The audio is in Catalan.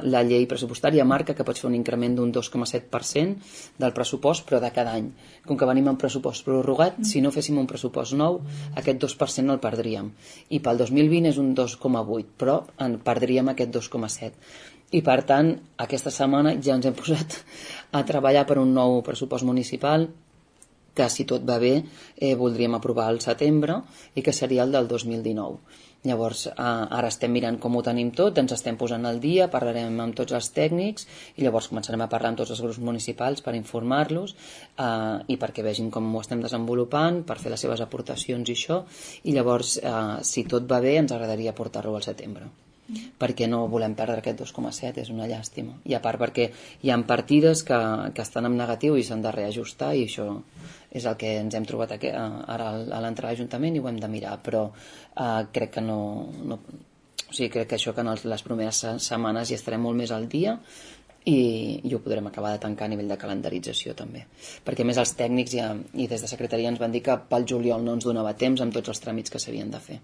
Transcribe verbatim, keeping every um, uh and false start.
la llei pressupostària marca que pots fer un increment d'un dos coma set per cent del pressupost, però de cada any. Com que venim amb pressupost prorrogat, si no féssim un pressupost nou, aquest dos per cent el perdríem. I pel dos mil vint és un dos coma vuit, però en perdríem aquest dos coma set. I per tant, aquesta setmana ja ens hem posat a treballar per un nou pressupost municipal que, si tot va bé, eh, voldríem aprovar al setembre i que seria el del dos mil dinou. Llavors, eh, ara estem mirant com ho tenim tot, ens estem posant al dia, parlarem amb tots els tècnics i llavors començarem a parlar amb tots els grups municipals per informar-los eh, i perquè vegin com ho estem desenvolupant, per fer les seves aportacions i això, i llavors, eh, si tot va bé, ens agradaria portar-lo al setembre. Perquè no volem perdre aquest dos coma set, és una llàstima. I a part perquè hi ha partides que, que estan en negatiu i s'han de reajustar, i això és el que ens hem trobat aquí, ara a l'entrada a l'Ajuntament, i ho hem de mirar, però eh, crec que no, no o sigui, crec que això que en les primeres setmanes hi estarem molt més al dia i, i ho podrem acabar de tancar a nivell de calendarització també, perquè a més els tècnics ja, i des de secretaria ens van dir que pel juliol no ens donava temps amb tots els tràmits que s'havien de fer.